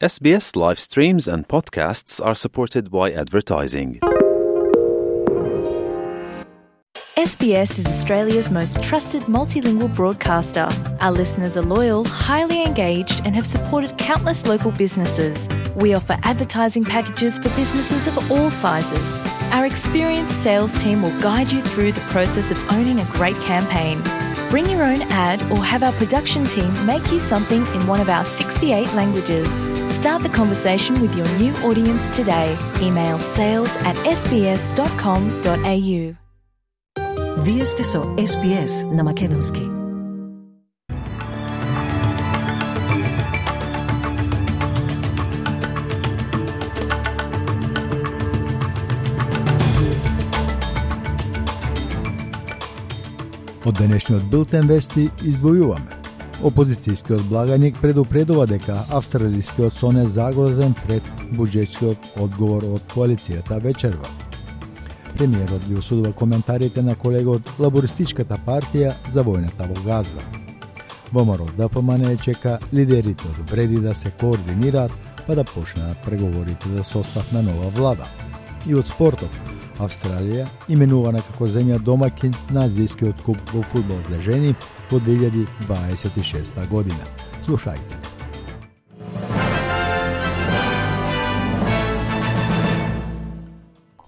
SBS live streams and podcasts are supported by advertising. SBS is Australia's most trusted multilingual broadcaster. Our listeners are loyal, highly engaged, and have supported countless local businesses. We offer advertising packages for businesses of all sizes. Our experienced sales team will guide you through the process of owning a great campaign. Bring your own ad or have our production team make you something in one of our 68 languages. Start the conversation with your new audience today. Email sales@sbs.com.au. Вие сте со SBS на Македонски. Од денешниот билтен вести издвојуваме. Опозицијскиот благаник предупредува дека австралискиот сон е загрозен пред буџетскиот одговор од коалицијата вечерва. Премиерот ги осудува коментарите на колега од Лабористичката партија за војната во Газа. ВМРО ДПМН чека лидерите од вреди да се координираат па да почнат преговорите за состав на нова влада. И од спортот, Австралија именувана како земја домаќин на Азијскиот куп во фудбал за жени во 2026 година. Слушајте.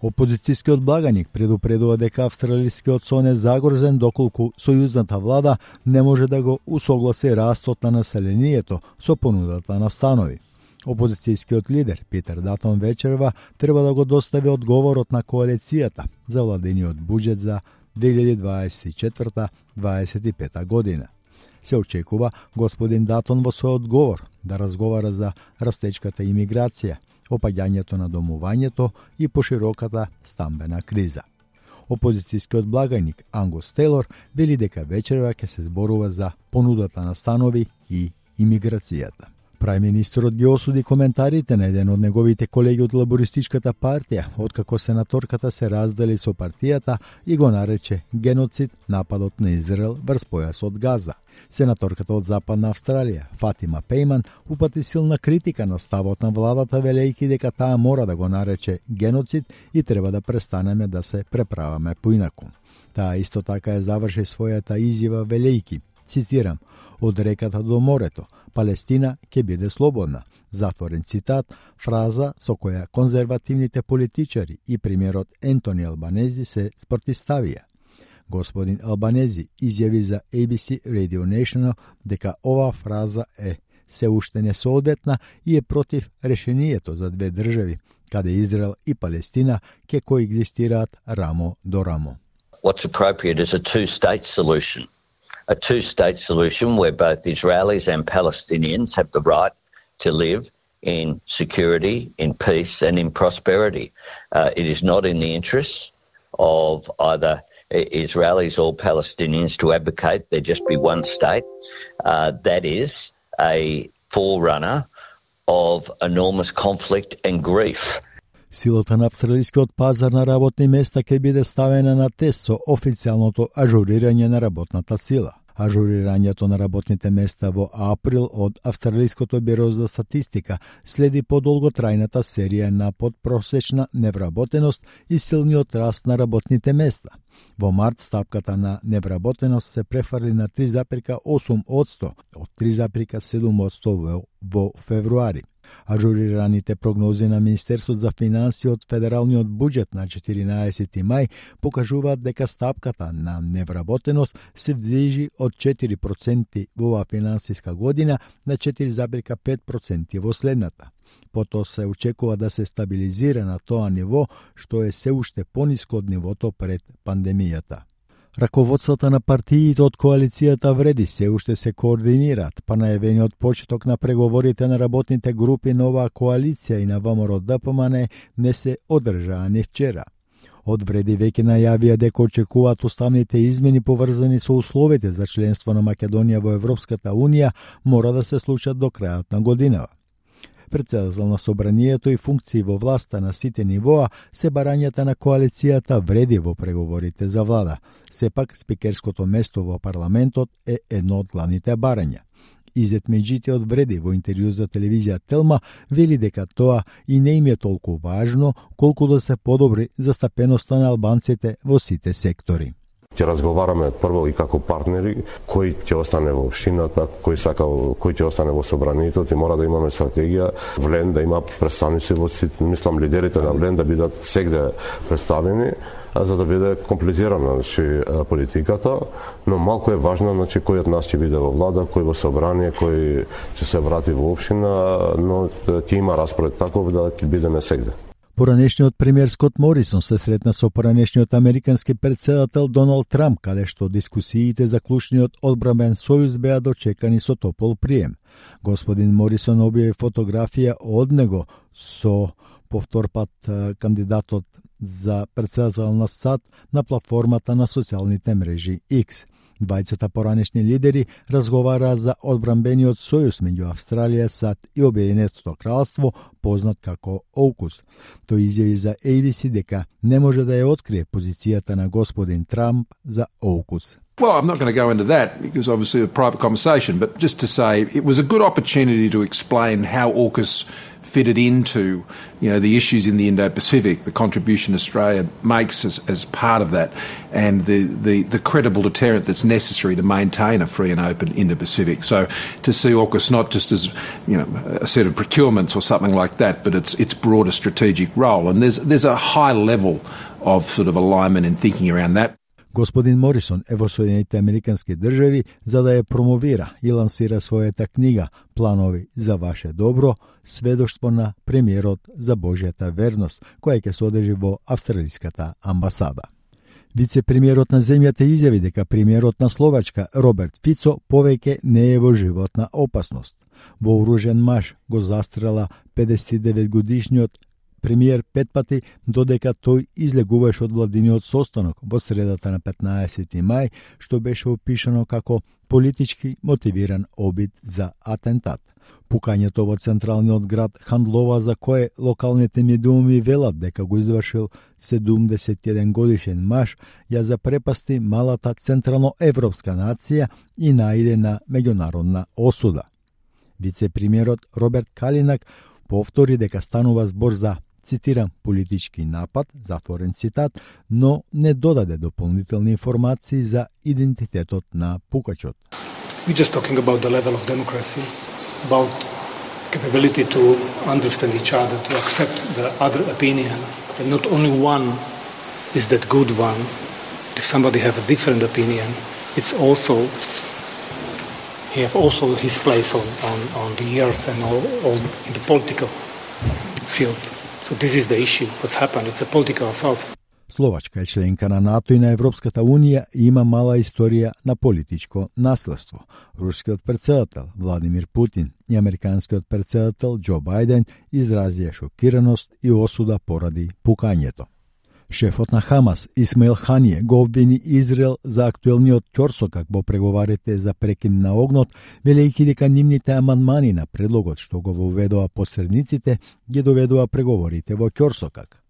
Опозицијскиот благаник предупредува дека австралискиот сон е загрозен доколку сојузната влада не може да го усогласи растот на населението со понудата на станови. Опозицијскиот лидер Питер Датон вечерва треба да го достави одговорот на коалицијата за владиниот буџет за 2024-2025 година. Се очекува господин Датон во свој одговор да разговара за растечката имиграција, опаѓањето на домувањето и пошироката стамбена криза. Опозицијскиот благаник Ангус Тейлор вели дека вечерва ќе се зборува за понудата на станови и имиграцијата. Прајм-министерот ги осуди коментарите на еден од неговите колеги од Лабористичката партија, откако сенаторката се раздели со партијата и го нарече геноцид нападот на Израел врз појасот Газа. Сенаторката од Западна Австралија, Фатима Пейман, упати силна критика на ставот на владата, велејќи дека таа мора да го нарече геноцид и треба да престанеме да се преправаме поинаку. Таа исто така ја заврши својата изјава велејќи, цитирам, од реката до морето, Палестина ќе биде слободна. Затворен цитат, фраза со која конзервативните политичари и премиерот Ентони Албанези се спротивставија. Господин Албанези изјави за ABC Radio National дека оваа фраза е се уште несоодветна и е против решението за две држави, каде Израел и Палестина ќе коегзистираат рамо до рамо. What's appropriate is a two-state solution. A two-state solution where both Israelis and Palestinians have the right to live in security, in peace and in prosperity. It is not in the interests of either Israelis or Palestinians to advocate there just be one state. That is a forerunner of enormous conflict and grief. Силата на австралискиот пазар на работни места ќе биде ставена на тест со официјалното ажурирање на работната сила. Ажурирањето на работните места во април од Австралиското биро за статистика следи подолготрајната серија на подпросечна невработеност и силниот раст на работните места. Во март стапката на невработеност се префарли на 3,8% од 3,7% во февруари. Ажурираните прогнози на Министерството за финансии од федералниот буџет на 14 мај покажуваат дека стапката на невработеност се движи од 4% во оваа финансиска година на 4,5% во следната. Потоа се очекува да се стабилизира на тоа ниво, што е се уште пониско од нивото пред пандемијата. Раководствата на партиите од коалицијата вреди се уште се координираат, па најавениот почеток на преговорите на работните групи на оваа коалиција и на ВМРО ДПМН не се одржаа ни вчера. Од вреди веќе најавија дека очекуваат уставните измени поврзани со условите за членство на Македонија во Европската Унија мора да се случат до крајот на годинава. Председател на собранието и функции во власта на сите нивоа се барањата на коалицијата вреди во преговорите за влада. Сепак, спикерското место во парламентот е едно од главните барања. Изет Меджити од Вреди во интервју за телевизија Телма вели дека тоа и не им е толку важно колку да се подобри застапеноста на албанците во сите сектори. Ќе разговараме прво и како партнери кој ќе остане во општината, кој ќе остане во собранието, и мора да имаме стратегија Влен да има представници во сите, мислам лидерите на Влен да бидат сегде представени, за да биде комплетирана политиката, но малку е важно кој од нас ќе биде во влада, кој во собрание, кој ќе се врати во општина, но ќе има распоред таков да ќе бидеме сегде. Поранешниот премиер Скот Морисон се сретна со поранешниот американски претседател Доналд Трамп, каде што дискусиите за клучниот одбранбен сојуз беа дочекани со топол прием. Господин Морисон објави фотографија од него со повтор пат кандидатот за претседател на САД на платформата на социјалните мрежи X. Двајцата поранешни лидери разговараа за одбранбениот сојуз меѓу Австралија, САД и Обединетото кралство, познат како AUKUS. Тој изјави за ABC дека не може да ја открие позицијата на господин Трамп за AUKUS. Well, I'm not going to go into that because obviously a private conversation, but just to say it was a good opportunity to explain how AUKUS fitted into, the issues in the Indo-Pacific, the contribution Australia makes as part of that, and the credible deterrent that's necessary to maintain a free and open Indo-Pacific. So to see AUKUS not just as, a set of procurements or something like that, but its broader strategic role. And there's a high level of sort of alignment and thinking around that. Господин Морисон е во Соединетите Американски држави за да ја промовира и лансира својата книга Планови за ваше добро, сведоштво на премиерот за Божјата верност, која ќе се одржи во австралиската амбасада. Вице-премиерот на земјата изјави дека премиерот на Словачка Роберт Фицо повеќе не е во животна опасност. Вооружен маж го застрела 59 годишниот премиер 5 пати додека тој излегуваше од владиниот состанок во средата на 15 мај, што беше опишано како политички мотивиран обид за атентат. Пукањето во централниот град Хандлова, за кое локалните медиуми велат дека го извршил 71 годишен маж, ја запрепасти малата централноевропска нација и најде на меѓународна осуда. Вице-премиерот Роберт Калинак повтори дека станува збор за, цитирам, политички напад, затворен цитат, но не додаде дополнителни информации за идентитетот на пукачот. We're just talking about the level of democracy, about capability to understand each other, to accept the other opinion. And not only one is that good one. If somebody have a different opinion, it's also he have also his place on the earth and all in the political field. So this is the issue. What's happened? It's a political assault. Словачка е членка на НАТО и на Европската Унија и има мала историја на политичко наследство. Рускиот претседател Владимир Путин и американскиот претседател Џо Бајден изразија шокираност и осуда поради пукањето. Шефот на Хамас Исмаил Ханије го обвини Израел за актуелниот ќорсокак во преговарите за прекин на огнот, велејќи дека нивните амандмани на предлогот што го воведоа посредниците ги доведоа преговорите во ќорсокак.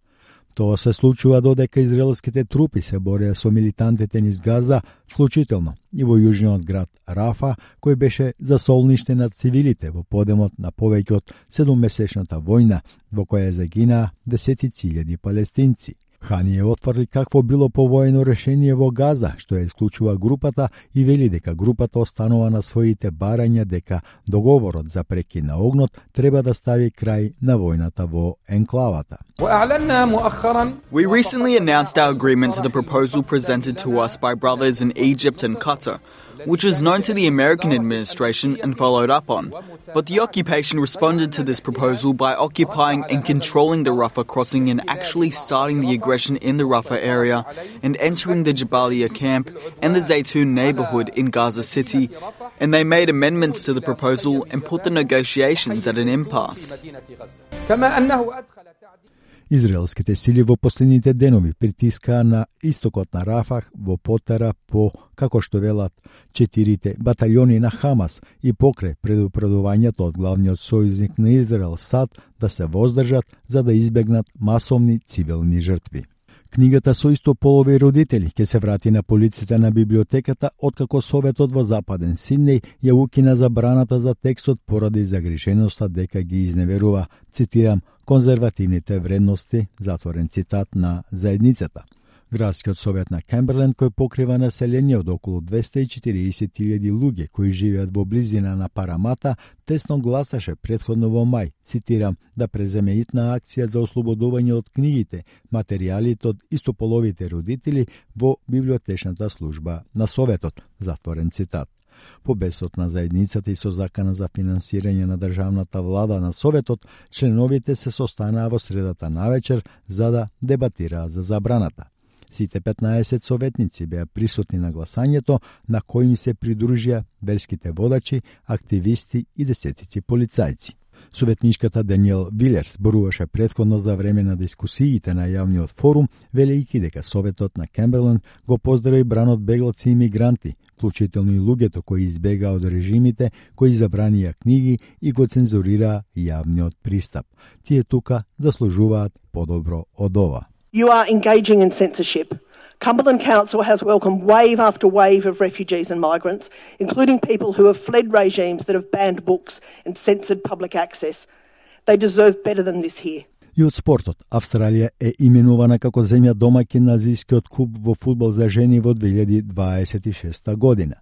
Тоа се случува додека израелските трупи се бореа со милитантите низ Газа, вклучително и во јужниот град Рафа, кој беше за солниште на цивилите во подемот на повеќе од 7-месечната војна, во која загинаа десетици илјади палестинци. Ханије отврди какво било повоено решение во Газа, што ја исклучува групата и вели дека групата останува на своите барања дека договорот за прекин на огнот треба да стави крај на војната во енклавата. We recently announced our agreement to the proposal presented to us by brothers in Egypt and Qatar, which was known to the American administration and followed up on. But the occupation responded to this proposal by occupying and controlling the Rafah crossing and actually starting the aggression in the Rafah area and entering the Jabalia camp and the Zaytun neighborhood in Gaza City. And they made amendments to the proposal and put the negotiations at an impasse. Израелските сили во последните денови притискаа на истокот на Рафах во потера по, како што велат, 4 баталјони на Хамас и покрај предупредувањето од главниот сојузник на Израел САД да се воздржат за да избегнат масовни цивилни жртви. Книгата со истополови родители ќе се врати на полиците на библиотеката откако Советот во Западен Сиднеј ја укина забраната за текстот поради загриженоста дека ги изневерува, цитирам, конзервативните вредности, затворен цитат, на заедницата. Градскиот совет на Камберленд, кој покрива население од околу 240.000 луѓе кои живеат во близина на Парамата, тесно гласаше претходно во мај, цитирам, да преземе итна акција за ослободување од книгите, материјалите од истополовите родители во библиотечната служба на Советот, затворен цитат. По бесот на заедницата и со закана за финансирање на државната влада на Советот, членовите се состанаа во средата навечер за да дебатираат за забраната. Сите 15 советници беа присутни на гласањето, на кој им се придружија верските водачи, активисти и десетици полицајци. Советничката Даниел Вилер зборуваше претходно за време на дискусиите на јавниот форум, велејќи дека Советот на Камберленд го поздрави бранот беглаци и мигранти, вклучително и луѓето кои избегаа од режимите, кои забранија книги и го цензурираа јавниот пристап. Тие тука заслужуваат подобро од ова. You are engaging in censorship. Cumberland Council has welcomed wave after wave of refugees and migrants, including people who have fled regimes that have banned books and censored public access. They deserve better than this here. И од спортот, Австралија е именувана како земја домаќин на Азијскиот куп во фудбал за жени во 2026 година.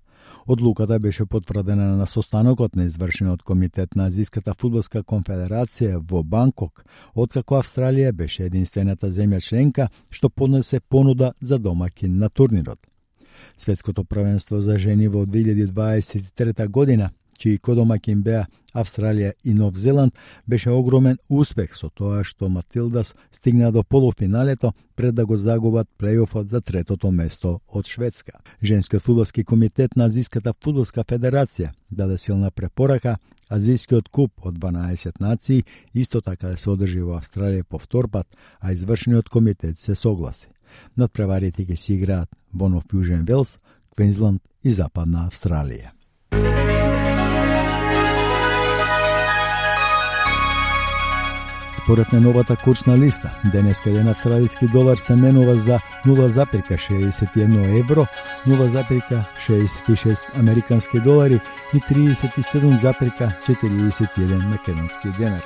Одлуката беше потврдена на состанокот на извршениот комитет на Азијската фудбалска конфедерација во Банкок, откако Австралија беше единствената земја членка што поднесе понуда за домаќин на турнирот. Светското првенство за жени во 2023 година, чии кодомаќин беа Австралија и Нов Зеланд, беше огромен успех со тоа што Матилдас стигна до полуфиналето пред да го загубат плејофот за третото место од Шведска. Женскиот фудбалски комитет на Азијската фудбалска федерација даде силна препорака Азијскиот куп од 12 нации исто така да се одржи во Австралија повтор пат, а извршениот комитет се согласи. Надпреварите ќе се играат во Нов Јужен Велс, Квинсланд и Западна Австралија. Според најновата курсна листа, денеска еден австралиски долар се менува за 0,61 евро, 0,66 американски долари и 37,41 македонски денар,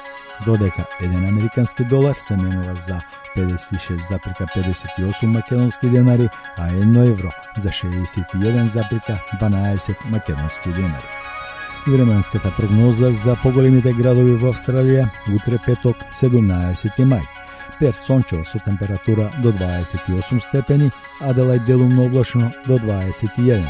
додека еден американски долар се менува за 56,58 македонски денари, а 1 евро за 61,12 македонски денари. Временската прогноза за поголемите градови во Австралија утре петок 17 мај. Перт сончево со температура до 28 степени, Аделајд делумно облачно до 21.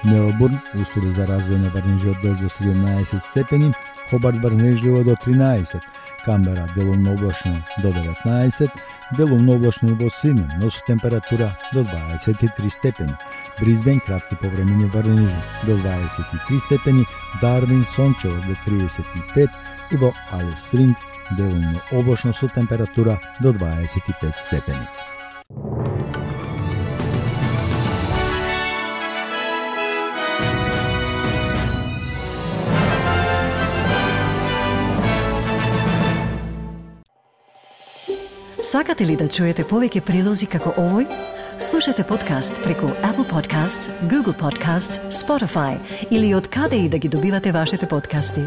Мелбурн услови за развој на врнежи од дожд до 17 степени, Хобарт врнежливо до 13, Камбера делумно облачно до 19, делумно облачно и во Сиднеј, но со температура до 23 степени. Брисбен кратки повремени врнежи до 23 степени, Дарвин сончево до 35 и во Алис Спрингс делумно облачно со температура до 25 степени. Сакате ли да чуете повеќе прилози како овој? Слушате подкаст преку Apple Podcasts, Google Podcasts, Spotify или од каде и да ги добивате вашите подкасти.